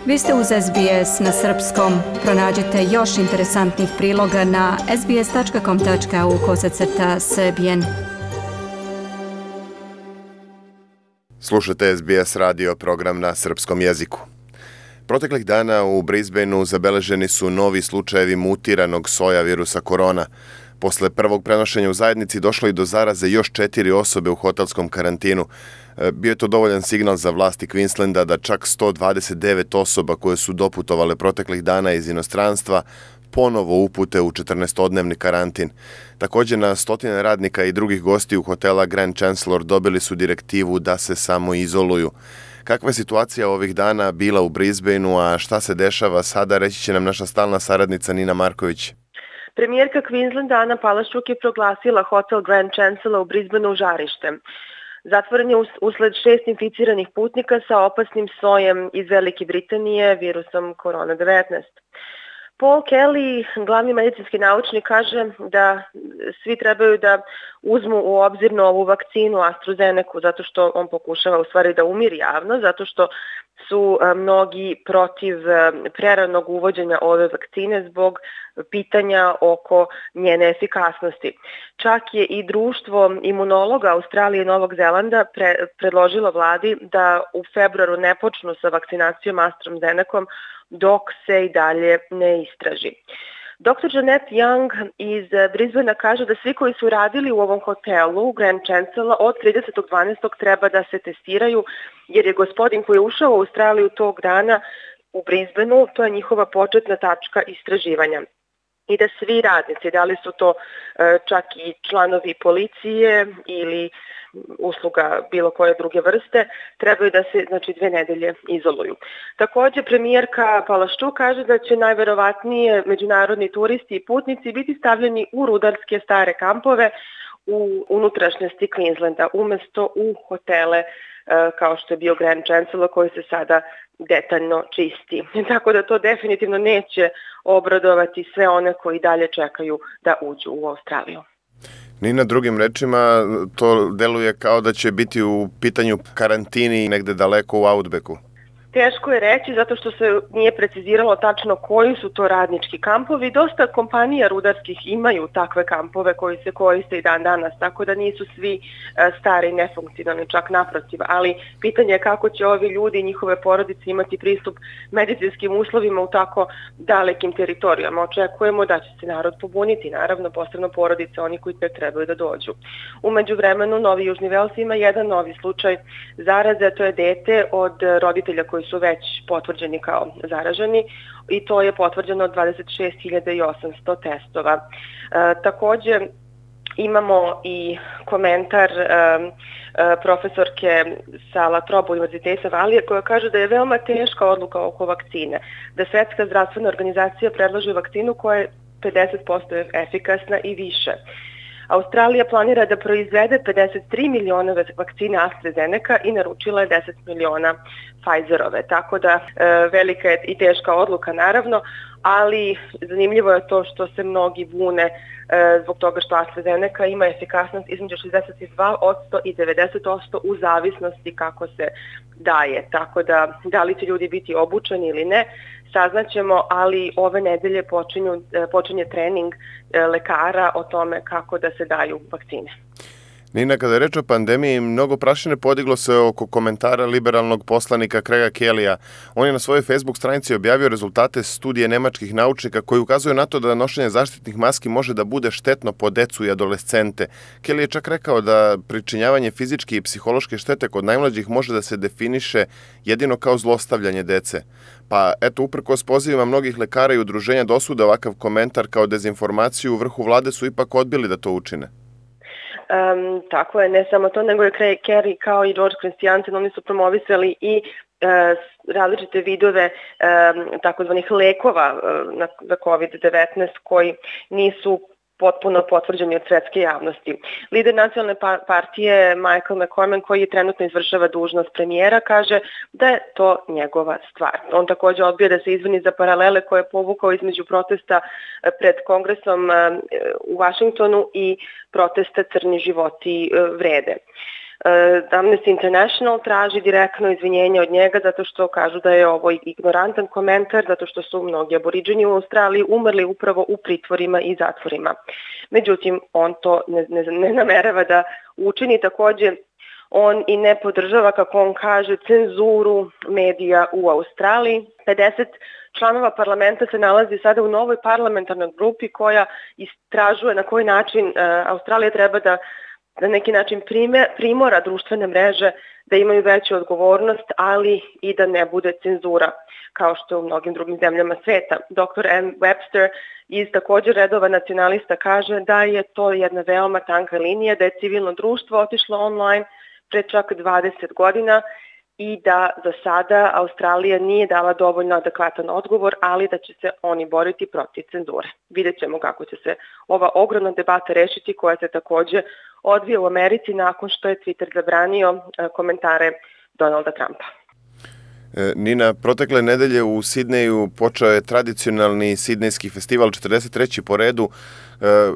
Vi ste uz SBS na srpskom. Pronađite još interesantnih priloga na sbs.com.au/srbijen. Slušate SBS radio program na srpskom jeziku. Proteklih dana u Brisbaneu zabeleženi su novi slučajevi mutiranog soja virusa korona. Posle prvog prenošenja u zajednici došlo i do zaraze još 4 osobe u hotelskom karantinu. Bio je to dovoljan signal za vlasti Queenslanda da čak 129 osoba koje su doputovale proteklih dana iz inostranstva ponovo upute u 14-dnevni karantin. Također na stotine radnika i drugih gostiju hotela Grand Chancellor dobili su direktivu da se samo izoluju. Kakva je situacija ovih dana bila u Brisbaneu, a šta se dešava sada, reći će nam naša stalna saradnica Nina Marković. Premijerka Queenslanda Ana Palaszczuk je proglasila hotel Grand Chancellor u Brisbaneu žarištem. Zatvoren je usled 6 inficiranih putnika sa opasnim sojem iz Velike Britanije virusom korona-19. Paul Kelly, glavni medicinski naučnik, kaže da svi trebaju da uzmu u obzir novu vakcinu AstraZeneca, zato što on pokušava u stvari da umiri javno, zato što su mnogi protiv preranog uvođenja ove vakcine zbog pitanja oko njene efikasnosti. Čak je i društvo imunologa Australije i Novog Zelanda predložilo vladi da u februaru ne počnu sa vakcinacijom AstraZenecom dok se i dalje ne istraži. Dr. Janet Young iz Brisbanea kaže da svi koji su radili u ovom hotelu Grand Chancellor od 30.12. treba da se testiraju, jer je gospodin koji je ušao u Australiju tog dana u Brisbaneu, to je njihova početna tačka istraživanja. I da svi radnici, da li su to čak i članovi policije ili usluga bilo koje druge vrste, trebaju da se 2 nedelje izoluju. Također premijerka Palaszczuk kaže da će najverovatnije međunarodni turisti i putnici biti stavljeni u rudarske stare kampove u unutrašnjosti Queenslanda umesto u hotele kao što je bio Grand Chancellor koji se sada detaljno čisti. Tako da to definitivno neće obradovati sve one koji dalje čekaju da uđu u Australiju. Nina, drugim rečima, to deluje kao da će biti u pitanju karantini negde daleko u Outbacku. Teško je reći zato što se nije preciziralo tačno koji su to radnički kampovi. Dosta kompanija rudarskih imaju takve kampove koji se koriste i dan danas, tako da nisu svi stari i nefunkcionalni, čak naprotiv. Ali pitanje je kako će ovi ljudi i njihove porodice imati pristup medicinskim uslovima u tako dalekim teritorijama. Očekujemo da će se narod pobuniti, naravno posebno porodice, oni koji tek trebaju da dođu. U međuvremenu Novi Južni Vels ima jedan novi slučaj zaraze, to je dete od roditelja koji su već potvrđeni kao zaraženi i to je potvrđeno od 26.800 testova. Također imamo i komentar profesorke sa La Trobe univerziteta Valije koja kaže da je veoma teška odluka oko vakcine, da Svetska zdravstvena organizacija predlaže vakcinu koja je 50% efikasna i više. Australija planira da proizvede 53 miliona vakcine AstraZeneca i naručila je 10 miliona Pfizerove. Tako da velika je i teška odluka naravno, ali zanimljivo je to što se mnogi bune zbog toga što AstraZeneca ima efikasnost između 62% i 90% u zavisnosti kako se daje. Tako da li će ljudi biti obučeni ili ne, saznaćemo, ali ove nedelje počinje trening lekara o tome kako da se daju vakcine. Nina, kada je reč o pandemiji, mnogo prašine podiglo se oko komentara liberalnog poslanika Craiga Kellya. On je na svojoj Facebook stranici objavio rezultate studije nemačkih naučnika koji ukazuju na to da nošenje zaštitnih maski može da bude štetno po decu i adolescente. Kelly je čak rekao da pričinjavanje fizičke i psihološke štete kod najmlađih može da se definiše jedino kao zlostavljanje dece. Pa eto, uprkos pozivima mnogih lekara i udruženja da osude ovakav komentar kao dezinformaciju, u vrhu vlade su ipak odbili da to učine. Tako je, ne samo to, nego je Craig Kerry kao i George Christiansen, oni su promovisali i različite vidove takozvanih lekova za COVID-19 koji nisu potpuno potvrđeni od svetske javnosti. Lider nacionalne partije Michael McCormack, koji trenutno izvršava dužnost premijera, kaže da je to njegova stvar. On također odbija da se izvini za paralele koje je povukao između protesta pred kongresom u Vašingtonu i protesta Crni životi vrede. Amnesty International traži direktno izvinjenje od njega zato što kažu da je ovo ignorantan komentar, zato što su mnogi aboriđeni u Australiji umrli upravo u pritvorima i zatvorima. Međutim, on to ne namerava da učini. Takođe, on i ne podržava, kako on kaže, cenzuru medija u Australiji. 50 članova parlamenta se nalazi sada u novoj parlamentarnoj grupi koja istražuje na koji način Australija treba da na neki način primora društvene mreže da imaju veću odgovornost, ali i da ne bude cenzura, kao što je u mnogim drugim zemljama sveta. Dr. Ann Webster iz također redova nacionalista kaže da je to jedna veoma tanka linija, da je civilno društvo otišlo online pre čak 20 godina i da za sada Australija nije dala dovoljno adekvatan odgovor, ali da će se oni boriti protiv cenzure. Vidjet ćemo kako će se ova ogromna debata rešiti, koja se takođe odvija u Americi nakon što je Twitter zabranio komentare Donalda Trumpa. Nina, protekle nedelje u Sidneju počeo je tradicionalni sidnejski festival, 43. po redu.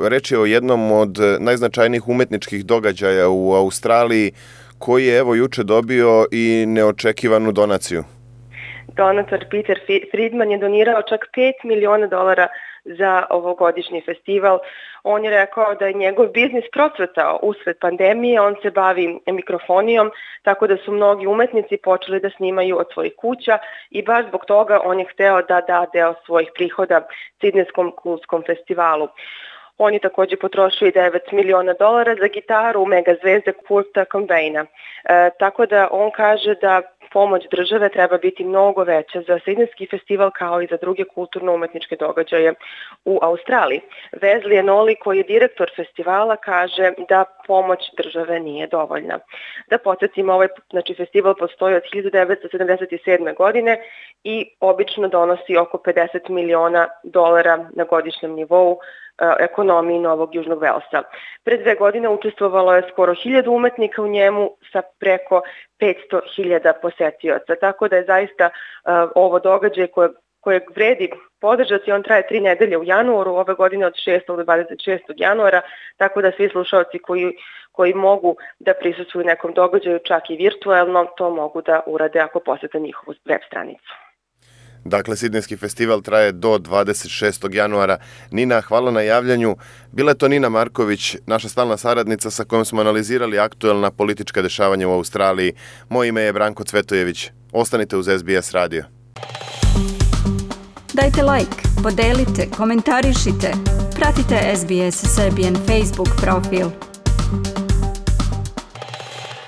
Reč je o jednom od najznačajnijih umetničkih događaja u Australiji, koji je evo juče dobio i neočekivanu donaciju. Donator Peter Friedman je donirao čak $5 miliona za ovogodišnji festival. On je rekao da je njegov biznis procvetao usred pandemije, on se bavi mikrofonijom, tako da su mnogi umetnici počeli da snimaju od svojih kuća i baš zbog toga on je hteo da da deo svojih prihoda Sidnejskom kultskom festivalu. On je također potrošio i $9 miliona za gitaru mega zvezde Kurta Cobaina. Tako da on kaže da pomoć države treba biti mnogo veća za Sidnejski festival kao i za druge kulturno-umetničke događaje u Australiji. Wesley Enoli, koji je direktor festivala, kaže da pomoć države nije dovoljna. Da podsjetimo, ovaj festival postoji od 1977. godine i obično donosi oko $50 miliona na godišnjem nivou ekonomiji Novog Južnog Velsa. Pre 2 godine učestvovalo je skoro 1000 umetnika u njemu sa preko 500.000 posetioca. Tako da je zaista ovo događaj kojeg vredi podržati. On traje 3 nedelje u januaru, ove godine od 6. do 26. januara, tako da svi slušalci koji mogu da prisustvuju nekom događaju, čak i virtuelno, to mogu da urade ako posete njihovu web stranicu. Dakle, Sidnejski festival traje do 26. januara. Nina, hvala na javljanju. Bila je to Nina Marković, naša stalna saradnica sa kojom smo analizirali aktuelna politička dešavanja u Australiji. Moje ime je Branko Cvetojević. Ostanite uz SBS radio. Dajte like, podelite, komentarišite. Pratite SBS Serbian Facebook profil.